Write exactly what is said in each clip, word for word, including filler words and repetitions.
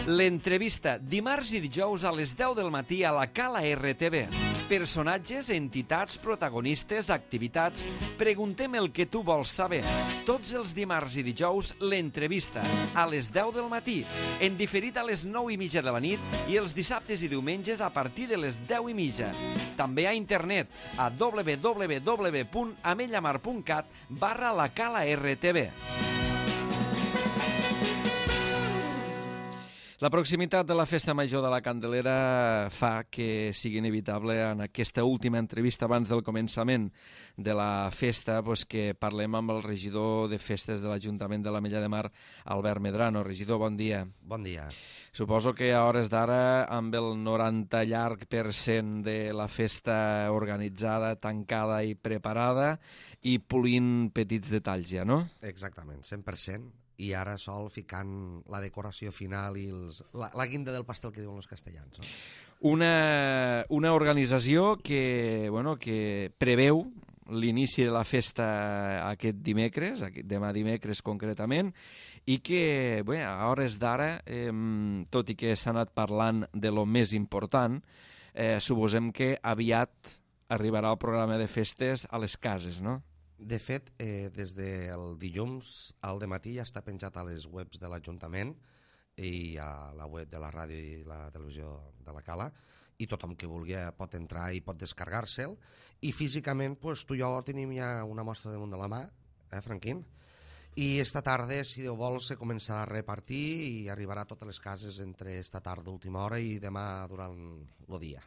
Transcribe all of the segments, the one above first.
L'entrevista, dimarts i dijous a les deu del matí a la Cala R T V. Personatges, entitats, protagonistes, activitats... Preguntem el que tu vols saber. Tots els dimarts i dijous, l'entrevista, a les deu del matí, en diferit a les nou i mitja de la nit i els dissabtes i diumenges a partir de les deu i mitja. També a internet, a w w w punt amellamar punt cat barra la Cala R T V. La proximitat de la Festa Major de la Candelera fa que sigui inevitable en aquesta última entrevista abans del començament de la festa pues, que parlem amb el regidor de festes de l'Ajuntament de l'Ametlla de Mar, Albert Medrano. Regidor, bon dia. Bon dia. Suposo que a hores d'ara, amb el noranta llarg per cent de la festa organitzada, tancada i preparada i polint petits detalls ja, no? Exactament, cent per cent. I ara sol ficant la decoració final i els, la, la guinda del pastel que diuen els castellans. No? Una, una organització que, bueno, que preveu l'inici de la festa aquest dimecres, aquest, demà dimecres concretament, i que bé, a hores d'ara, eh, tot i que s'ha anat parlant de lo més important, eh, suposem que aviat arribarà el programa de festes a les cases, no? De fet, eh, des del dilluns al dematí ja està penjat a les webs de l'Ajuntament i a la web de la ràdio i la televisió de la Cala, i tothom que vulgui pot entrar i pot descarregar-se'l, i físicament pues, tu i jo tenim ja una mostra damunt de la mà, eh, Franquín? I esta tarda, si Déu vol, se començarà a repartir i arribarà a totes les cases entre esta tarda, última hora, i demà durant el dia.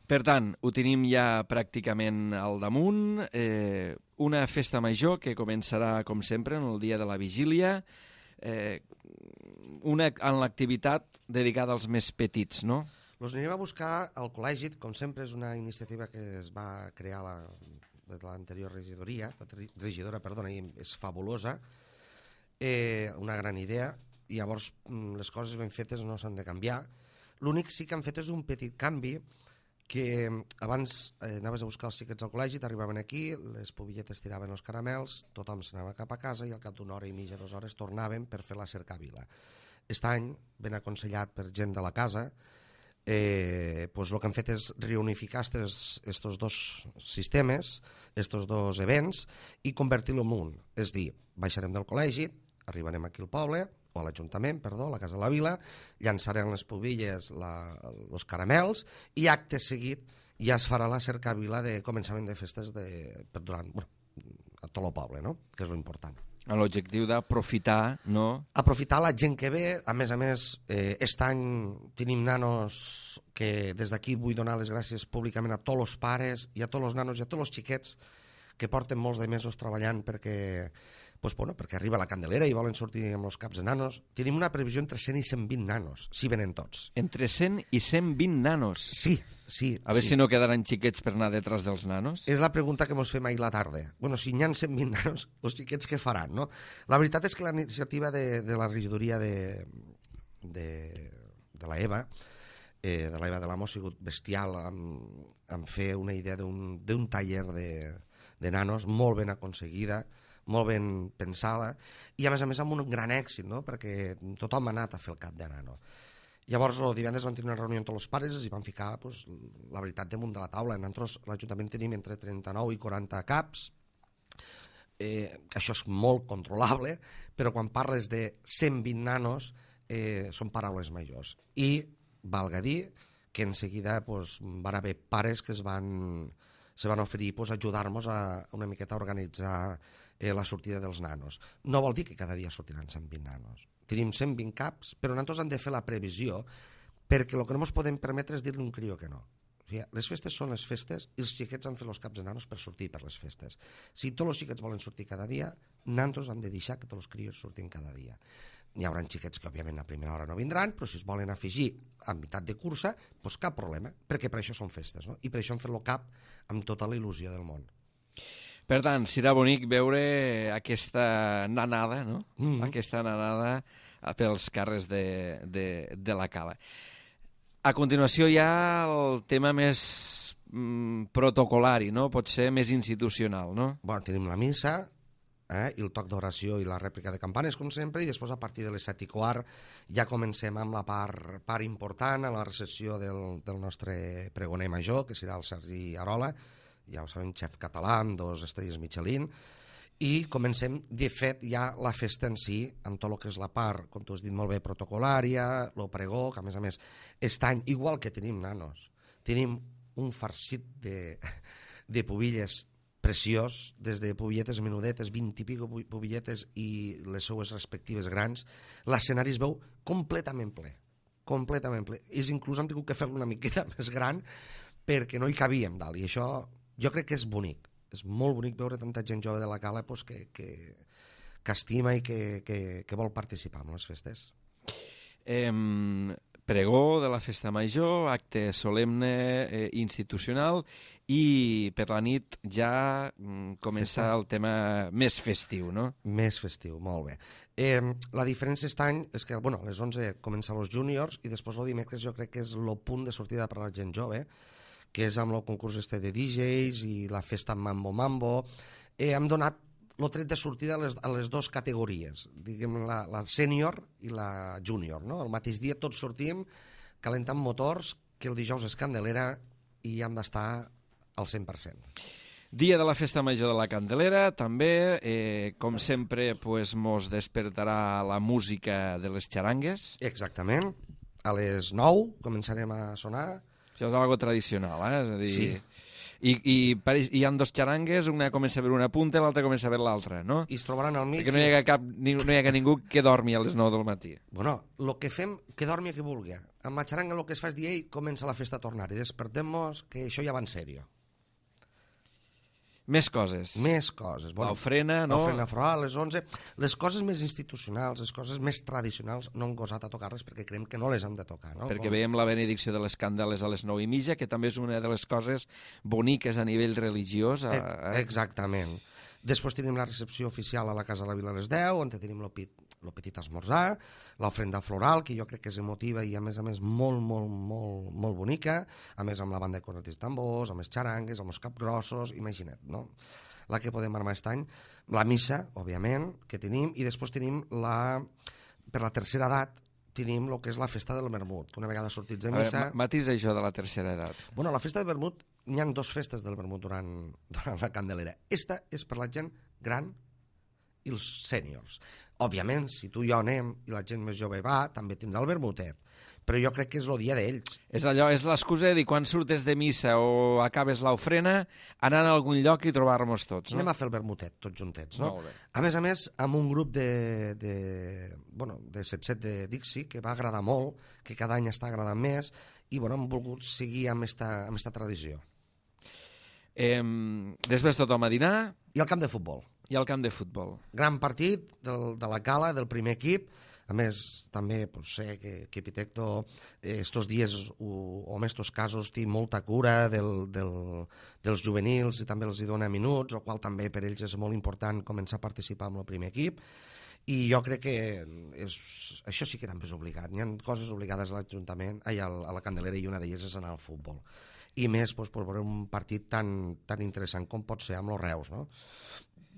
Per tant, ho tenim ja pràcticament al damunt, eh, una festa major que començarà, com sempre, en el dia de la vigília, eh, una, en l'activitat dedicada als més petits, no? Els anirem a buscar al col·legi, com sempre és una iniciativa que es va crear la, des de l'anterior regidoria, regidora, perdona, i és fabulosa, eh, una gran idea, i llavors les coses ben fetes no s'han de canviar. L'únic sí que han fet és un petit canvi, que abans eh, anaves a buscar els xiquets al col·legi, t'arribaven aquí, les pobilletes tiraven els caramels, tothom s'anava cap a casa i al cap d'una hora i mitja, dues hores, tornaven per fer la cercavila. Aquest any, ben aconsellat per gent de la casa, eh, pues el que han fet és reunificar estos dos sistemes, estos dos events, i convertir-lo en un. És dir, baixarem del col·legi, arribarem aquí al poble, o a l'Ajuntament, perdó, a la Casa de la Vila, llançarem les pobilles, la, els caramels, i acte seguit ja es farà la cercavila de començament de festes de, per durant, bueno, a tot el poble, no? Que és l'important. L'objectiu d'aprofitar, no? Aprofitar la gent que ve, a més a més, eh, aquest any tenim nanos que des d'aquí vull donar les gràcies públicament a tots els pares i a tots els nanos i a tots els xiquets que porten molts de mesos treballant perquè, pues, bueno, perquè arriba la Candelera i volen sortir amb els caps de nanos. Tenim una previsió entre cent i cent vint nanos, si venen tots. Entre cent i cent vint nanos? Sí, sí. A veure sí. si no quedaran xiquets per anar detrás dels nanos. És la pregunta que ens fem ahir la tarda. Bueno, si n'hi ha cent vint nanos, els xiquets què faran, no? La veritat és que la iniciativa de, de la regidoria de, de, de la EVA, eh, de la EVA de l'Amo, ha sigut bestial en, en fer una idea d'un taller de de nanos, molt ben aconseguida, molt ben pensada, i a més a més amb un gran èxit, no? Perquè tothom ha anat a fer el cap de nano. Llavors, el divendres vam tenir una reunió amb tots els pares i van ficar pues, la veritat damunt de la taula. Nosaltres, l'Ajuntament, tenim entre trenta-nou i quaranta caps, eh, això és molt controlable, però quan parles de cent vint nanos, eh, són paraules majors. I valga dir que en seguida pues, van haver pares que es van... se van oferir pues, ajudar-nos a una miqueta a organitzar eh, la sortida dels nanos. No vol dir que cada dia sortiran cent vint nanos. Tenim cent vint caps, però nosaltres hem de fer la previsió perquè el que no ens podem permetre és dir-li un crió que no. O sigui, les festes són les festes i els xiquets han fet els caps de nanos per sortir per les festes. Si tots els xiquets volen sortir cada dia, nosaltres hem de deixar que tots els crios surtin cada dia. Hi haurà xiquets que, òbviament, a primera hora no vindran, però si es volen afegir a meitat de cursa, doncs cap problema, perquè per això són festes, no? I per això hem fet el cap amb tota la il·lusió del món. Per tant, serà bonic veure aquesta nanada, no? Mm-hmm. Aquesta nanada pels carrers de, de, de la Cala. A continuació hi ha el tema més mm, protocolari, no? Pot ser més institucional, no? Bueno, tenim la missa, eh? I el toc d'oració i la rèplica de campanes, com sempre, i després a partir de les set i quart ja comencem amb la part, part important, a la recepció del, del nostre pregoner major, que serà el Sergi Arola, ja ho sabem, xef català, amb dos estrelles Michelin, i comencem, de fet, ja la festa en si, amb tot el que és la part, com tu has dit molt bé, protocolària, el pregó, que a més a més, aquest any, igual que tenim nanos, tenim un farcit de, de pubilles preciós, des de pubilletes menudetes, vint i pico pubilletes i les seues respectives grans, l'escenari es veu completament ple, completament ple. És inclús hem tingut que fer-lo una miqueta més gran perquè no hi cabíem dalt, i això jo crec que és bonic. És molt bonic veure tanta gent jove de la Cala pues, que, que, que estima i que, que, que vol participar en les festes. Eh, pregó de la festa major, acte solemne eh, institucional, i per la nit ja mm, comença festa. El tema més festiu, no? Més festiu, molt bé. Eh, la diferència aquest any és que bueno, a les onze comença els júniors i després el dimecres jo crec que és el punt de sortida per a la gent jove, que és amb el concurs este de D Js i la festa Mambo Mambo. Eh, hem donat el tret de sortida a les, a les dues categories, diguem la, la sènior i la júnior, no? El mateix dia tots sortim calentant motors, que el dijous és Candelera i hem d'estar al cent per cent. Dia de la festa major de la Candelera, també, eh, com sempre, pues, mos despertarà la música de les xarangues. Exactament, a les nou començarem a sonar. Això és algo tradicional, eh? És a dir, sí. I, i, hi ha dos xarangues, una comença a veure una punta i l'altra comença a veure l'altra, no? I es trobaran al mig. Perquè no hi ha, cap, no hi ha ningú que dormi a les nou del matí. Bueno, el que fem, que dormi qui vulgui. Amb la xaranga el que es fa és dir, ei, comença la festa a tornar, i despertem-nos que això ja va en sèrio. Més coses. Més coses. Bueno, l'ofrena, no? L'ofrena floral, a les onze. Les coses més institucionals, les coses més tradicionals, no hem gosat a tocar-les perquè creiem que no les hem de tocar. No? Perquè Com... veiem la benedicció de les candales a les nou i mitja, que també és una de les coses boniques a nivell religiós. A... Eh, exactament. Després tenim la recepció oficial a la Casa de la Vila a les deu, on tenim el pit el petit esmorzar, l'ofrenda floral, que jo crec que és emotiva i a més a més molt, molt, molt, molt bonica, a més amb la banda de cornetes i tambors, amb els xarangues, amb els capgrossos, imagina't, no? La que podem armar aquest any, la missa, òbviament, que tenim, i després tenim la, per la tercera edat, tenim el que és la festa del vermut, que una vegada sortits de missa... A veure, matisa això de la tercera edat. Bueno, la festa del vermut, n'hi ha dues festes del vermut durant, durant la Candelera. Esta és per la gent gran i els sèniors. Òbviament, si tu i jo anem i la gent més jove va, també tindrà el vermutet, però jo crec que és el dia d'ells. És allò, és l'excusa de dir, quan surtes de missa o acabes l'ofrena, anar a algun lloc i trobar-nos tots, no? Anem a fer el vermutet, tots juntets, no? Molt bé. A més a més, amb un grup de, de, bueno, de set-set de Dixie, que va agradar molt, que cada any està agradant més, i bueno, hem volgut seguir amb esta, amb esta tradició. Eh, després tothom a dinar. I al camp de futbol. I al camp de futbol. Gran partit del, de la Cala, del primer equip. A més, també pues, sé que, que Pitecto eh, estos dies, o, o en estos casos, té molta cura del, del, dels juvenils i també els hi dona minuts, el qual també per ells és molt important començar a participar en el primer equip. I jo crec que és, això sí que també és obligat. Hi ha coses obligades a l'Ajuntament, a la Candelera, i una d'elles és anar al futbol. I més doncs, per veure un partit tan, tan interessant com pot ser amb els Reus, no?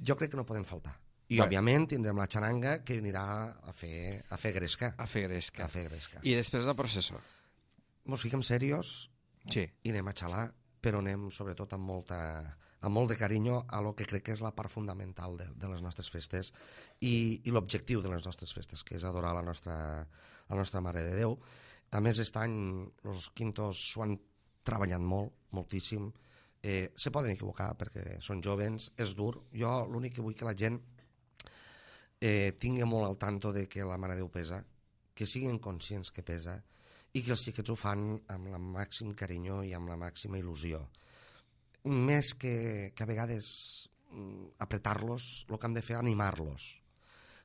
Jo crec que no poden faltar. I, bé, òbviament, tindrem la xaranga que anirà a fer, a fer gresca. A fer gresca. A fer gresca. I després la processó. Mos fiquem serios sí. I anem a xalar, però anem sobretot amb, molta, amb molt de carinyo a lo que crec que és la part fundamental de, de les nostres festes i, i l'objectiu de les nostres festes, que és adorar la nostra, la nostra Mare de Déu. A més, aquest any els quintos s'ho han treballat molt, moltíssim. Eh, se poden equivocar perquè són jovens, és dur. Jo l'únic que vull que la gent eh, tingui molt al tanto de que la Mare de Déu pesa, que siguin conscients que pesa i que els xiquets ho fan amb el màxim carinyo i amb la màxima il·lusió. Més que, que a vegades apretar-los, el que hem de fer és animar-los.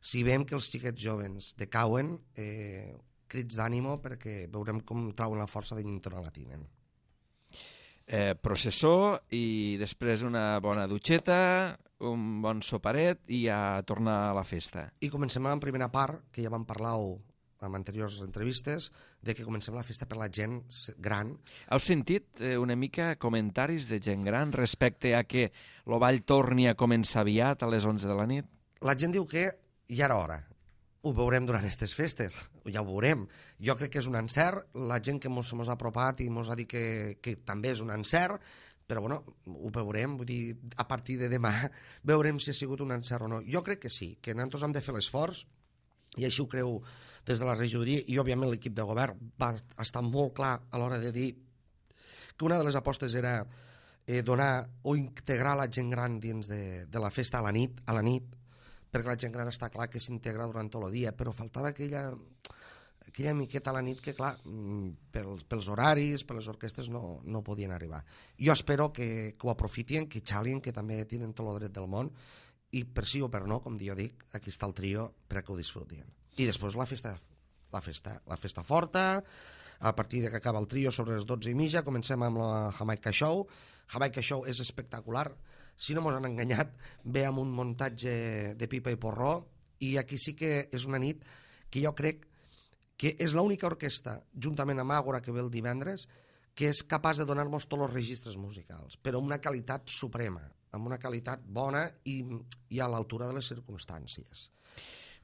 Si veiem que els xiquets jovens decauen, eh, crits d'ànimo perquè veurem com trauen la força de dintre la tinen. Eh, processó i després una bona dutxeta, un bon soparet i a tornar a la festa. I comencem amb la primera part, que ja vam parlar en anteriors entrevistes, de que comencem la festa per la gent gran. Heu sentit eh, una mica comentaris de gent gran respecte a que el ball torni a començar aviat a les onze de la nit? la gent diu que ja era hora. Ho veurem durant aquestes festes, ja ho veurem. Jo crec que és un encert, la gent que ens ha apropat i ens ha dit que, que també és un encert, però bueno, ho veurem, vull dir, a partir de demà veurem si ha sigut un encert o no. Jo crec que sí, que nosaltres hem de fer l'esforç, i així ho creu des de la regidoria, i òbviament l'equip de govern va estar molt clar a l'hora de dir que una de les apostes era eh, donar o integrar la gent gran dins de, de la festa a la nit, a la nit, perquè la gent gran està clar que s'integra durant tot el dia, però faltava aquella, aquella miqueta a la nit que, clar, pels, pels horaris, per les orquestes no, no podien arribar. Jo espero que, que ho aprofitien, que xalin, que també tenen tot el dret del món, i per sí o per no, com jo dic, aquí està el trio perquè ho disfrutin. I després la festa, la festa, la festa forta, a partir de que acaba el trio sobre les dotze i mitja, comencem amb la Jamaica Show. Jamaica Show és espectacular. Si no mos han enganyat, ve amb un muntatge de pipa i porró, i aquí sí que és una nit que jo crec que és l'única orquestra, juntament amb Àgora, que ve el divendres, que és capaç de donar-nos tots els registres musicals, però amb una qualitat suprema, amb una qualitat bona i, i a l'altura de les circumstàncies.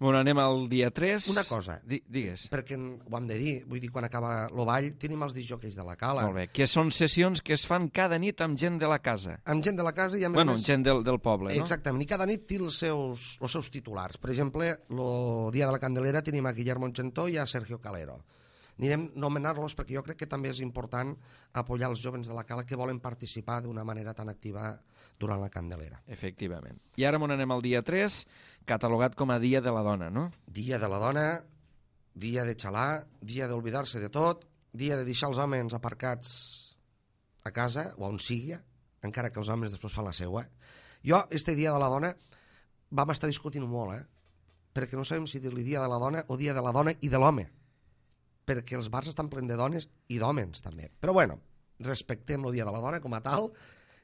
Bueno, anem al dia tres. Una cosa, Di digues. perquè ho hem de dir, vull dir, quan acaba el ball tenim els disjòqueis de la Cala. Molt bé, que són sessions que es fan cada nit amb gent de la casa. Amb gent de la casa i a més... Bueno, gent del, del poble, no? Exactament, i cada nit té els seus, els seus titulars. Per exemple, el dia de la Candelera tenim a Guillermo Gentó i a Sergio Calero. Anirem a nomenar-los perquè jo crec que també és important apoyar els jovens de la Cala que volen participar d'una manera tan activa durant la Candelera. Efectivament. I ara m'on anem al dia tres, catalogat com a Dia de la Dona, no? Dia de la dona, dia de xalar, dia d'oblidar-se de tot, dia de deixar els homes aparcats a casa o on sigui, encara que els homes després fan la seua. Jo, este dia de la dona, vam estar discutint molt, eh? Perquè no sabem si dir-li dia de la dona o dia de la dona i de l'home, perquè els bars estan plens de dones i d'homes també. Però bueno, respectem el dia de la dona com a tal.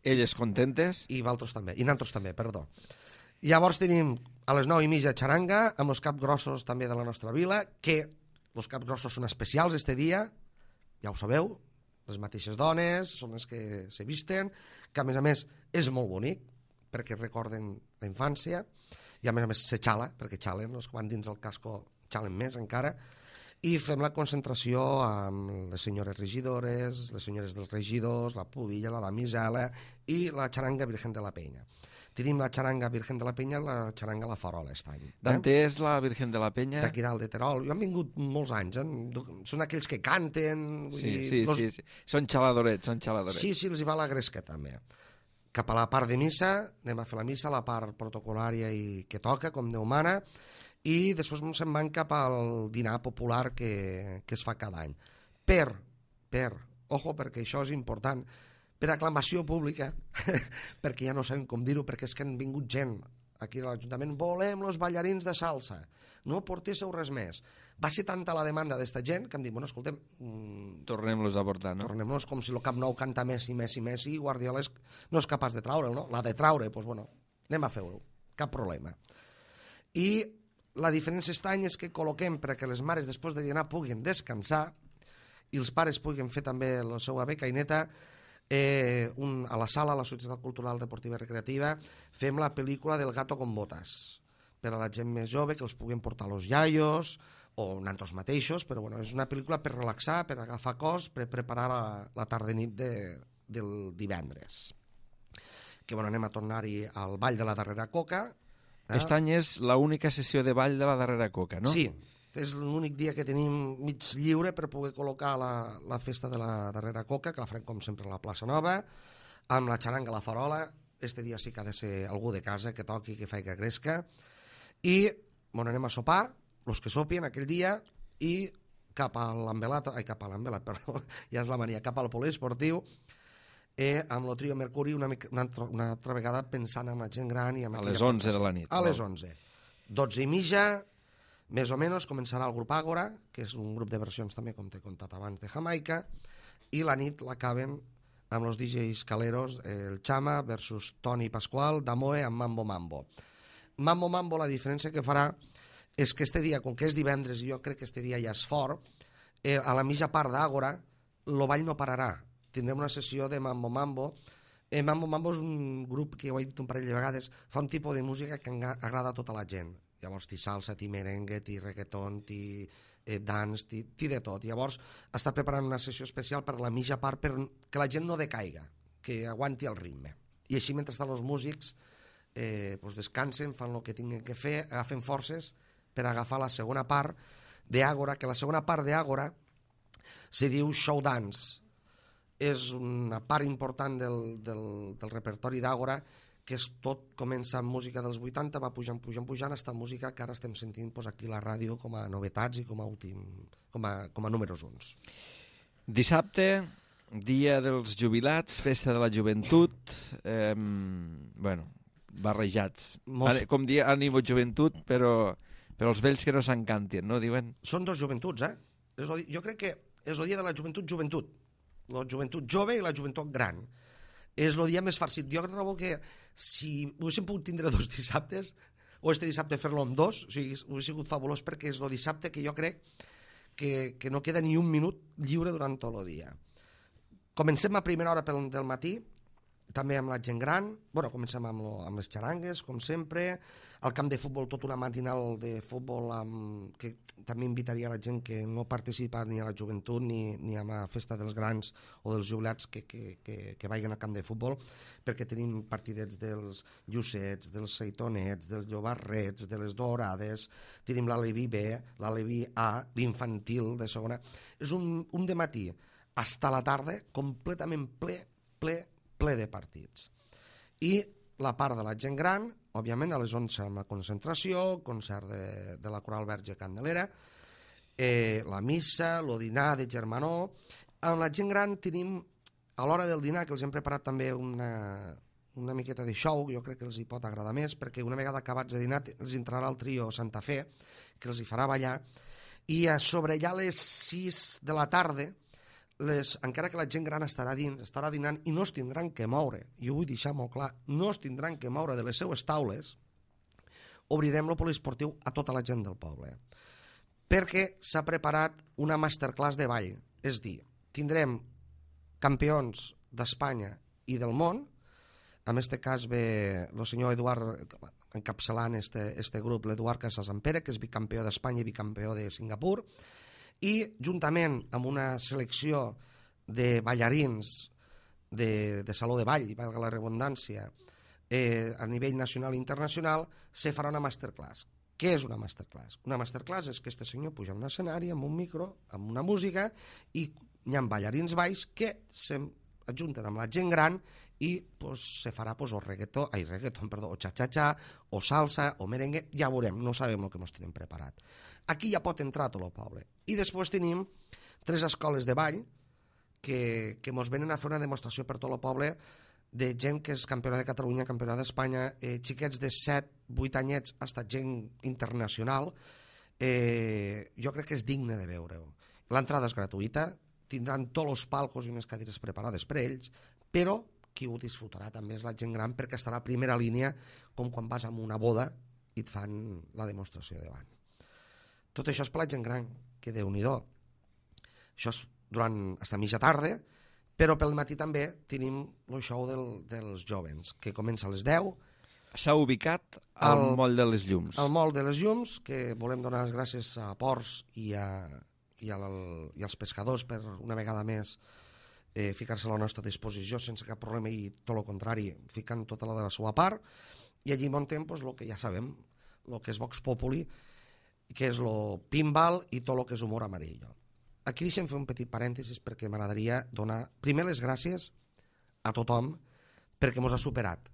Elles contentes. I valtros també, i nantos també, perdó. Llavors tenim a les nou i mitja xaranga, amb els capgrossos també de la nostra vila, que els capgrossos són especials este dia, ja ho sabeu, les mateixes dones, són les que se visten, que a més a més és molt bonic, perquè recorden la infància, i a més a més se xala, perquè xalen, els que van dins el casco xalen més encara, i fem la concentració amb les senyores regidores, les senyores dels regidors, la pubilla, la damisela i la xaranga Virgen de la Penya. Tenim la xaranga Virgen de la Penya i la xaranga La Farola aquest any. D'on és la Virgen de la Penya? D'aquí dalt de Terol. Jo han vingut molts anys, eh? Són aquells que canten... Vull sí, dir, sí, los... sí, sí. Són xaladorets, són xaladorets. Sí, sí, els hi va la gresca també. Cap a la part de missa, anem a fer la missa, la part protocolària i que toca, com Déu mana, i després se'n van cap al dinar popular que, que es fa cada any. Per, per, ojo, perquè això és important, per aclamació pública, perquè ja no sabem com dir-ho, perquè és que han vingut gent aquí a l'Ajuntament, volem los ballarins de salsa, no portéssiu res més. Va ser tanta la demanda d'esta gent que em dic, bueno, escoltem... Mmm, tornem-los a portar, no? Tornem-los com si el Camp Nou canta Messi, Messi, Messi, i Guardiola és, no és capaç de traure'l, no? L'ha de traure, doncs bueno, anem a fer-ho, cap problema. I la diferència aquest any és que col·loquem perquè les mares després de dinar puguin descansar i els pares puguin fer també la seva becaineta eh, un, a la sala, a la Societat Cultural Deportiva i Recreativa, fem la pel·lícula del Gato con Botas per a la gent més jove, que els puguin portar los iaios o nantos mateixos, però bueno, és una pel·lícula per relaxar, per agafar cos, per preparar la, la tarda nit de, del divendres. Que bueno, anem a tornar-hi al Ball de la Darrera Coca. Aquest any és l'única sessió de ball de la Darrera Coca, no? Sí, és l'únic dia que tenim mig lliure per poder col·locar la, la festa de la Darrera Coca, que la farem com sempre a la plaça Nova, amb la xaranga La Farola. Este dia sí que ha de ser algú de casa que toqui, que faci que gresca, i bueno, anem a sopar, els que sopien aquell dia, i cap a l'Ambelat, ai, cap a l'Ambelat, perdó, ja és la mania, cap al poliesportiu, eh, amb el trio Mercuri una, una, altra, una altra vegada pensant en la gent gran. I amb a les onze de la nit. A les onze. dotze i mitja, més o menys, començarà el grup Àgora, que és un grup de versions també, com t'he contat abans, de Jamaica, i la nit l'acaben amb els D Js Caleros, el Chama versus Toni Pasqual, Damoe amb Mambo Mambo. Mambo Mambo, la diferència que farà és que este dia, com que és divendres, i jo crec que este dia ja és fort, eh, a la mitja part d'Àgora, el ball no pararà. Tindrem una sessió de Mambo Mambo Eh, Mambo Mambo és un grup que ho he dit un parell de vegades, fa un tipus de música que agrada a tota la gent. Llavors, ti salsa, ti merengue, ti reggaeton, ti eh, dance, ti, ti de tot. Llavors, està preparant una sessió especial per la mitja part perquè la gent no decaiga, que aguanti el ritme. I així, mentre estan els músics, eh, pues descansen, fan el que tinguin que fer, agafen forces per agafar la segona part d'Àgora, que la segona part d'Àgora se diu show dance. És una part important del, del, del repertori d'Àgora, que és tot, comença amb música dels vuitanta, va pujant, pujant, pujant, hasta música que ara estem sentint pues, aquí a la ràdio com a novetats i com a, últim, com a, com a números uns. Dissabte, dia dels jubilats, festa de la joventut, eh, bueno, barrejats. Most... Com dir ànimo joventut, però, però els vells que no s'encantin, no? Diuen... Són dos joventuts, eh? És el, jo crec que és el dia de la joventut joventut. La joventut jove i la joventut gran. És el dia més farcit. Jo trobo que si haguéssim pogut tindre dos dissabtes, o este dissabte fer-lo amb dos, o sigui, hauria sigut fabulós perquè és el dissabte que jo crec que, que no queda ni un minut lliure durant tot el dia. Comencem a primera hora del matí, també amb la gent gran, bueno, comencem amb, lo, amb les xarangues, com sempre, al camp de futbol, tota una matinal de futbol amb, que també invitaria la gent que no participa ni a la joventut ni, ni a la festa dels grans o dels jubilats que, que, que, que vagin al camp de futbol, perquè tenim partidets dels llucets, dels seitonets, dels llobarrets, de les dorades, tenim l'Aleví B, l'Aleví A, l'infantil de segona. És un, un dematí fins a la tarda completament ple, ple, ple de partits. I la part de la gent gran, òbviament a les onze amb la concentració, concert de, de la Coral Verge Candelera, eh, la missa, el dinar de germanor. Amb la gent gran tenim, a l'hora del dinar, que els hem preparat també una, una miqueta de show, jo crec que els hi pot agradar més, perquè una vegada acabats de dinar els entrarà el trio Santa Fe, que els hi farà ballar, i a sobre ja a les sis de la tarda, Les, encara que la gent gran estarà dins, estarà dinant i no es tindran que moure, i ho vull deixar molt clar, no es tindran que moure de les seues taules, obrirem el poliesportiu a tota la gent del poble. Perquè s'ha preparat una masterclass de ball, és dir, tindrem campions d'Espanya i del món, en aquest cas ve el senyor Eduard encapçalant este, este grup, l'Eduard Casasampere, que és bicampió d'Espanya i bicampió de Singapur, i juntament amb una selecció de ballarins de, de saló de ball, valga la redundància, eh, a nivell nacional i internacional, se farà una masterclass. Què és una masterclass? Una masterclass és que este senyor puja a un escenari amb un micro, amb una música, i hi ha ballarins balls que s'ajunten amb la gent gran i pues, se farà pues, o reggaeton, ai, reggaeton, perdó, o xa-xa-xa, o salsa, o merengue, ja veurem, no sabem el que ens tenim preparat. Aquí ja pot entrar tot el poble. I després tenim tres escoles de ball que, que ens venen a fer una demostració per tot el poble de gent que és campiona de Catalunya, campiona d'Espanya, eh, xiquets de set, vuit anyets, fins a gent internacional. Eh, jo crec que és digne de veure-ho. L'entrada és gratuïta, tindran tots els palcos i unes cadires preparades per ells, però qui ho disfrutarà també és la gent gran perquè estarà a primera línia com quan vas a una boda i et fan la demostració davant. Tot això és per la gent gran, que Déu-n'hi-do. Això és durant hasta mitja tarda, però pel matí també tenim el show del, dels jovens, que comença a les deu. S'ha ubicat al el, Moll de les Llums. Al Moll de les Llums, que volem donar les gràcies a Ports i, a, i, al, i als pescadors per una vegada més eh, ficar-se a la nostra disposició sense cap problema i tot el contrari, ficant tota la de la seva part, i allí muntem pues, el que ja sabem, el que és Vox Populi, que és el pinball i tot el que és humor amarillo. Aquí deixem fer un petit parèntesis perquè m'agradaria donar primer les gràcies a tothom perquè mos ha superat.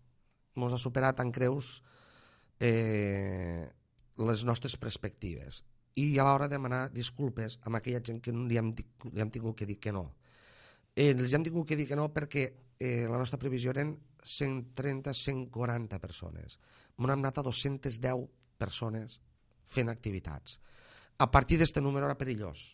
Mos ha superat en creus eh, les nostres perspectives. I a l'hora de demanar disculpes amb aquella gent que li hem, li hem tingut que dir que no. Eh, els hem tingut que dir que no perquè eh, la nostra previsió eren cent trenta a cent quaranta persones. M'hem anat a dos-centes deu persones fent activitats. A partir d'aquest número era perillós.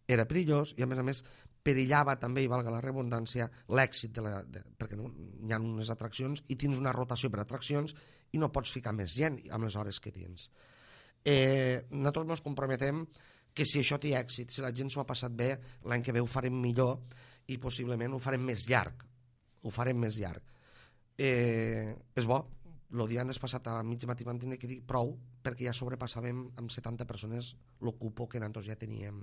Era perillós i, a més a més, perillava també, i valga la redundància, l'èxit, de la, de, perquè no, hi ha unes atraccions i tens una rotació per atraccions i no pots ficar més gent amb les hores que tens. Eh, nosaltres ens comprometem que si això té èxit, si la gent s'ho ha passat bé, l'any que ve ho farem millor i possiblement ho farem més llarg. Ho farem més llarg. eh, és bo. El divendres passat a mig matí vam tenir que dir prou, perquè ja sobrepassàvem amb setanta persones el cupo que nosaltres ja teníem,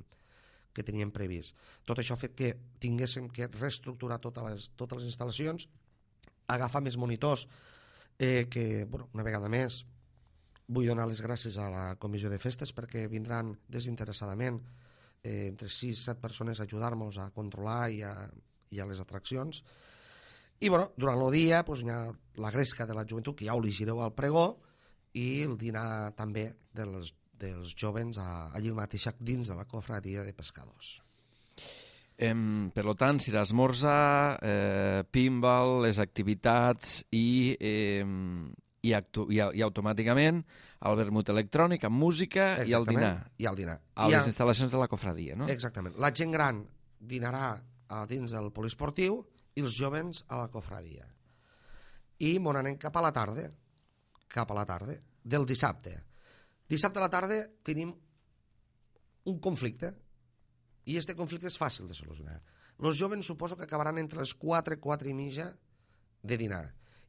que teníem previst. Tot això ha fet que tinguéssim que reestructurar totes les, totes les instal·lacions, agafar més monitors, eh, que, bueno, una vegada més, vull donar les gràcies a la comissió de festes perquè vindran desinteressadament eh, entre sis set persones a ajudar-nos a controlar i a, i a les atraccions. I bueno, durant el dia pues, hi ha la gresca de la joventut, que ja ho llegireu al pregó, i el dinar també dels, dels jovens a, allí mateix dins de la cofradia de pescadors. Eh, per tant, si l'esmorza, eh, pinball, les activitats i, eh, i, actu i, i automàticament el vermut electrònic amb música. Exactament. I el dinar. I el dinar. A I les a... instal·lacions de la cofradia, no? Exactament. La gent gran dinarà a dins del poliesportiu i els jovens a la cofradia. I m'on anem cap a la tarda, cap a la tarda, del dissabte. Dissabte a la tarda tenim un conflicte, i este conflicte és fàcil de solucionar. Els jovens suposo que acabaran entre les quatre, quatre i mitja de dinar.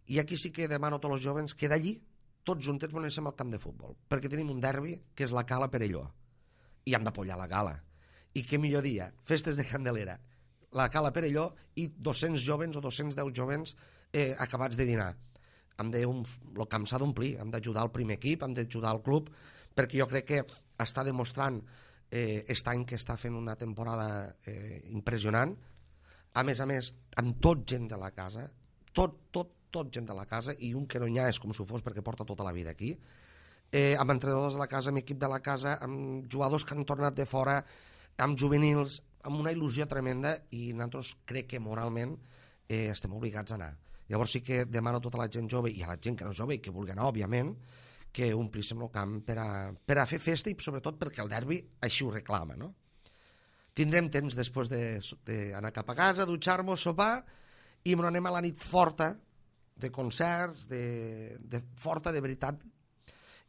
I aquí sí que demano a tots els jovens que d'allí, tots junts, ens anem al camp de futbol, perquè tenim un derbi que és la Cala Perelló. I hem d'apollar la Cala. I què millor dia, festes de Candelera, la Cala Perelló i dos-cents jovens o dos-cents deu jovens eh, acabats de dinar. Hem de, un, el camp s'ha d'omplir, hem d'ajudar el primer equip, hem d'ajudar el club, perquè jo crec que està demostrant eh, aquest any que està fent una temporada eh, impressionant. A més a més, amb tot gent de la casa, tot, tot, tot gent de la casa, i un que no hi ha és com si fos perquè porta tota la vida aquí, eh, amb entrenadors de la casa, amb equip de la casa, amb jugadors que han tornat de fora, amb juvenils, amb una il·lusió tremenda, i nosaltres crec que moralment eh, estem obligats a anar. Llavors sí que demano a tota la gent jove i a la gent que no és jove i que vulgui anar, òbviament, que omplíssim el camp per a, per a fer festa i sobretot perquè el derbi així ho reclama, no? Tindrem temps després d'anar de, cap a casa, dutxar-nos, sopar, i anem a la nit forta de concerts, de, de forta de veritat,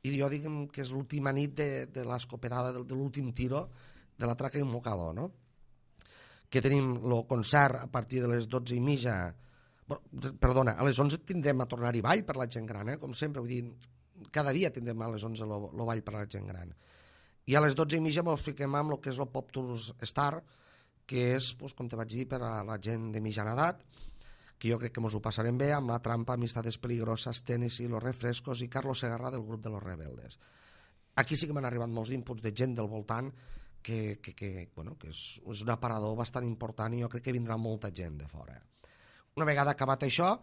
i jo diguem que és l'última nit de, de l'escopedada, de, de l'últim tiro de la traca i un mocador, no? Que tenim el concert a partir de les dotze i mitja, bueno, perdona, a les onze tindrem a tornar-hi ball per la gent gran, eh? Com sempre, vull dir, cada dia tindrem a les onze el ball per la gent gran. I a les dotze i mitja ens fiquem amb el que és el Pop Tours Star, que és, doncs, com te vaig dir, per a la gent de mitjana edat, que jo crec que ens ho passarem bé, amb La Trampa, Amistades Peligrosas, Tennessee, Los Refrescos i Carlos Segarra del grup de Los Rebeldes. Aquí sí que m'han arribat molts inputs de gent del voltant que, que, que, bueno, que és, és un aparador bastant important i jo crec que vindrà molta gent de fora. Una vegada acabat això,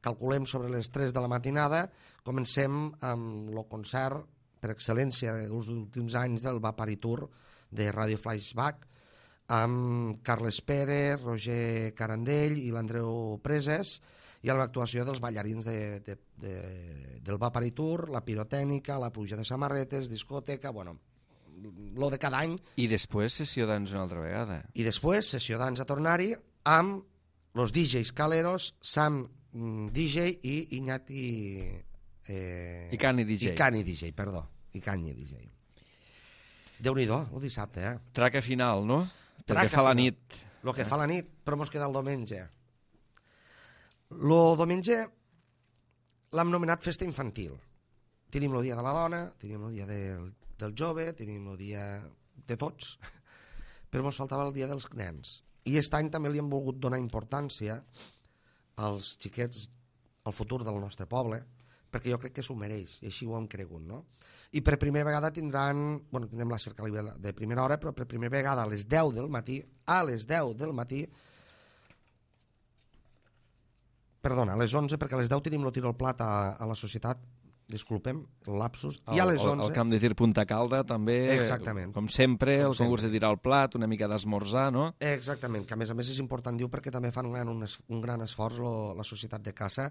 calculem sobre les tres de la matinada, comencem amb el concert per excel·lència dels últims anys del Vaparitur de Radio Flashback, amb Carles Pérez, Roger Carandell i l'Andreu Preses, i amb l'actuació dels ballarins de, de, de, del Vaparitur, la pirotècnica, la pluja de samarretes, discoteca, bueno, lo de cada any. I després sessió d'ans una altra vegada. I després sessió d'ans a tornar-hi amb los D Js Caleros, Sam D J i Iñati... Eh, I Cani D J. I Cani D J, perdó. I Cani D J. Déu-n'hi-do, el dissabte, eh? Traca final, no? Traca Perquè fa final. la nit. El que fa la nit, però mos queda el diumenge. El diumenge l'hem nomenat festa infantil. Tenim el dia de la dona, tenim el dia del, del jove, tenim el dia de tots, però ens faltava el dia dels nens. I aquest any també li hem volgut donar importància als xiquets, al futur del nostre poble, perquè jo crec que s'ho mereix, i així ho hem cregut, no? I per primera vegada tindran, bueno, tindrem la cercavila de primera hora, però per primera vegada a les deu del matí, a les deu del matí, perdona, a les onze, perquè a les deu tenim el tiro al plat a, a la societat, disculpem, el lapsus, el, i a les onze... El camp de tir Punta Calda també, exactament, com sempre, com el concurs sempre. de tirar al plat, una mica d'esmorzar, no? Exactament, que a més a més és important, diu, perquè també fan un gran, un, un gran esforç lo, la societat de caça,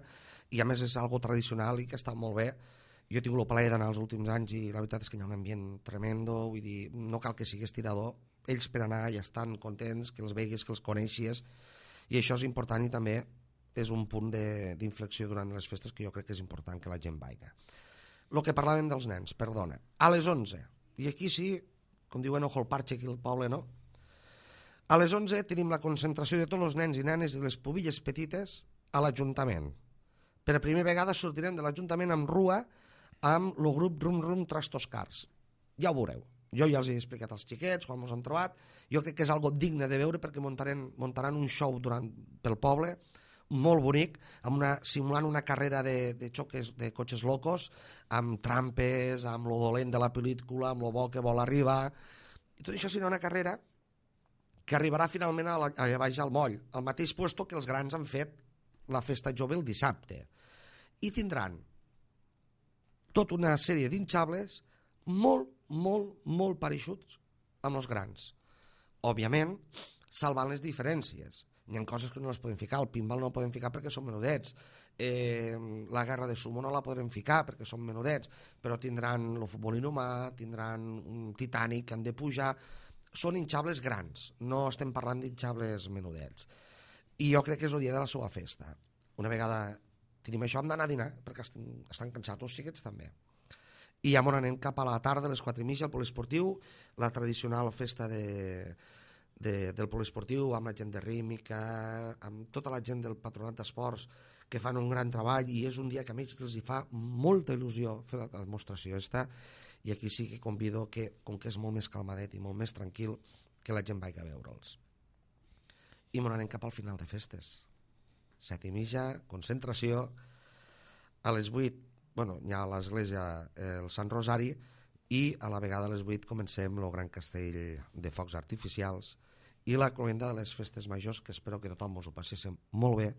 i a més és algo tradicional i que està molt bé. Jo he tingut el plaer d'anar els últims anys i la veritat és que hi ha un ambient tremendo, vull dir, no cal que siguis tirador, ells per anar ja estan contents, que els veguis, que els coneixies, i això és important i també és un punt d'inflexió durant les festes que jo crec que és important que la gent vaiga. El que parlàvem dels nens, perdona, a les onze, i aquí sí, com diuen ojo el parche aquí al poble, no? A les onze tenim la concentració de tots els nens i nenes i les pubilles petites a l'Ajuntament. Per primera vegada sortirem de l'Ajuntament amb Rua amb el grup Rum Rum Trastos Cars. Ja ho veureu. Jo ja els he explicat als xiquets quan ens han trobat. Jo crec que és algo digne de veure perquè muntaran, muntaran un show durant, pel poble molt bonic, amb una, simulant una carrera de, de xoques de cotxes locos, amb trampes, amb lo dolent de la pel·lícula, amb lo bo que vol arribar. I tot això serà una carrera que arribarà finalment a la, a baix al moll, al mateix puesto que els grans han fet la festa jove el dissabte. I tindran tota una sèrie d'inxables molt, molt, molt pareixuts amb els grans. Òbviament, salvant les diferències. Hi ha coses que no les podem ficar. El pinball no el podem ficar perquè són menudets. Eh, la guerra de sumo no la podrem ficar perquè són menudets, però tindran el futbol inhumà, tindran un Titanic que han de pujar. Són hinxables grans, no estem parlant d'inxables menudets. I jo crec que és el dia de la seva festa. Una vegada tenim això, hem d'anar a dinar, perquè estan, estan cansats els xiquets també. I ja anem cap a la tarda, a les quatre i mitja, al poliesportiu, la tradicional festa de, de, del poliesportiu, amb la gent de Rímica, amb tota la gent del Patronat d'Esports, que fan un gran treball, i és un dia que a ells els hi fa molta il·lusió fer la demostració esta, i aquí sí que convido que, com que és molt més calmadet i molt més tranquil, que la gent vagi a veure'ls. I m'ho anem cap al final de festes. Set i mitja, concentració, a les vuit, bueno, hi ha a l'església el Sant Rosari, i a la vegada a les vuit comencem el gran castell de focs artificials i la cloenda de les festes majors, que espero que tothom us ho passéssim molt bé,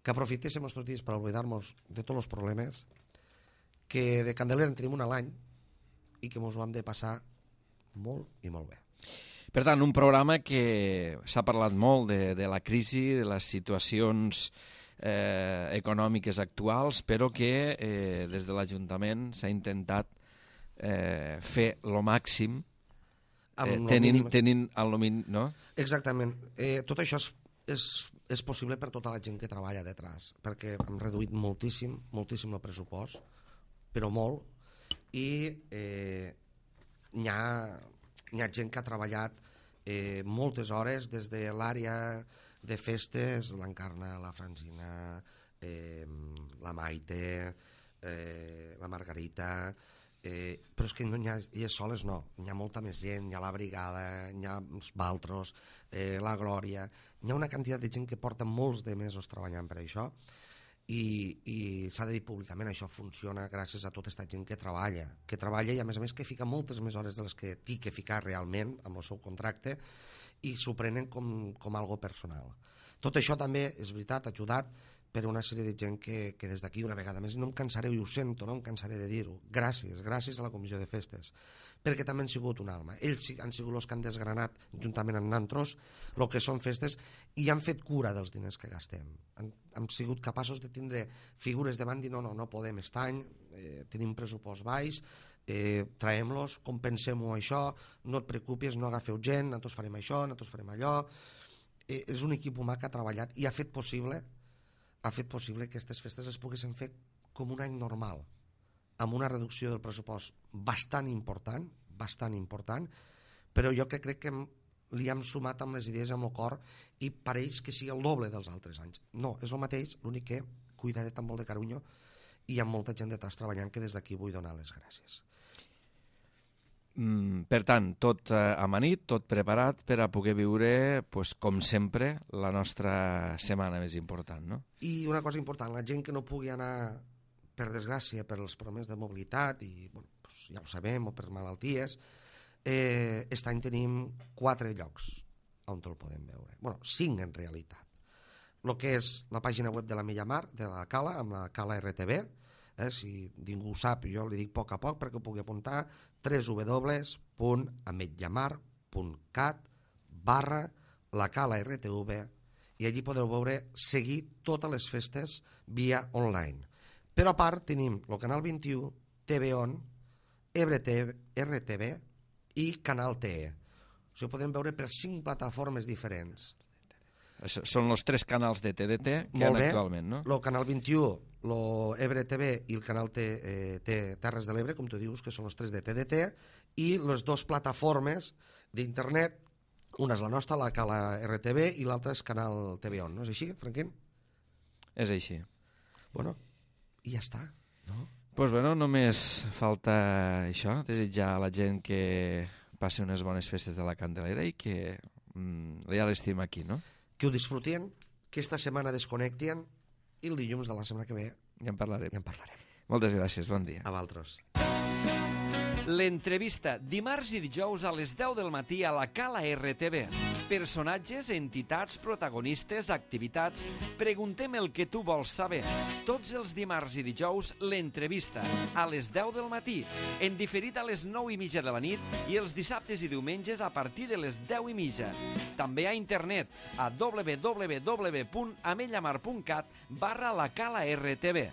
que aprofitéssim aquests dies per oblidar-nos de tots els problemes, que de Candelera en tenim un a l'any i que ens ho hem de passar molt i molt bé. Per tant, un programa que s'ha parlat molt de, de la crisi, de les situacions eh, econòmiques actuals, però que eh, des de l'Ajuntament s'ha intentat eh, fer lo màxim eh, tenint, tenint el mínim, no? Exactament. Eh, tot això és, és, és possible per tota la gent que treballa detrás, perquè hem reduït moltíssim, moltíssim el pressupost, però molt, i eh, hi ha... Hi ha gent que ha treballat eh, moltes hores des de l'àrea de festes, l'Encarna, la Francina, eh, la Maite, eh, la Margarita, eh, però és que no hi ha, elles soles no, hi ha molta més gent, hi ha la Brigada, hi ha els Baltros, eh, la Glòria, hi ha una quantitat de gent que porta molts de mesos treballant per això, i, i s'ha de dir públicament, això funciona gràcies a tota aquesta gent que treballa, que treballa i a més a més que fica moltes més hores de les que té que ficar realment amb el seu contracte i s'ho prenen com, com algo personal. Tot això també, és veritat, ajudat per una sèrie de gent que, que des d'aquí una vegada més, no em cansaré, i ho sento, no em cansaré de dir-ho, gràcies, gràcies a la Comissió de Festes, perquè també han sigut un alma. Ells han sigut els que han desgranat, juntament amb nantros, el que són festes, i han fet cura dels diners que gastem. Han, han sigut capaços de tindre figures davant i dir, no, no, no podem aquest any, eh, tenim pressupost baix, eh, traiem-los, compensem-ho això, no et preocupis, no agafeu gent, nosaltres farem això, nosaltres farem allò. Eh, és un equip humà que ha treballat i ha fet possible ha fet possible que aquestes festes es poguessin fer com un any normal, amb una reducció del pressupost bastant important, bastant important, però jo que crec que li hem sumat amb les idees amb el cor i pareix que sigui el doble dels altres anys. No, és el mateix, l'únic que cuidadet amb molt de carinyo i hi ha molta gent detrás treballant que des d'aquí vull donar les gràcies. Mm, per tant, tot eh, amanit, tot preparat per a poder viure, pues, com sempre, la nostra setmana més important, no? I una cosa important, la gent que no pugui anar, per desgràcia, per els problemes de mobilitat, i bueno, pues, ja ho sabem, o per malalties, eh, aquest any tenim quatre llocs on el podem veure. Bueno, cinc en realitat. El que és la pàgina web de la Millamar, de la Cala, amb la Cala R T V, Eh, si ningú ho sap, jo li dic a poc a poc perquè ho pugui apuntar, w w w punt ametlllamar punt cat barra la Cala R T V, i allí podeu veure, seguir totes les festes via online. Però a part tenim el Canal vint-i-u, T V On, R T V i Canal T E. O sigui, podem veure per cinc plataformes diferents. Són els tres canals de T D T que hi ha actualment, no? El Canal vint-i-u, l'Ebre T V i el Canal T, eh, T, Terres de l'Ebre, com tu dius, que són els tres de T D T, i les dues plataformes d'internet, una és la nostra, la Cala R T V, i l'altra és Canal T V On, no és així, Franquín? És així. Bueno, i ja està, no? Doncs pues bueno, només falta això, desitjar a la gent que passi unes bones festes de la Candelera i que mm, ja l'estim aquí, no? Que ho disfrutien, que esta setmana desconnectien i el dilluns de la setmana que ve ja en parlarem. Ja en parlarem. Moltes gràcies, bon dia. A vosaltres. L'entrevista, dimarts i dijous a les deu del matí a la Cala R T V. Personatges, entitats, protagonistes, activitats... Preguntem el que tu vols saber. Tots els dimarts i dijous, l'entrevista, a les deu del matí, en diferit a les nou i mitja de la nit i els dissabtes i diumenges a partir de les deu i mitja. També a internet, a w w w punt amellamar punt cat barra la Cala R T V.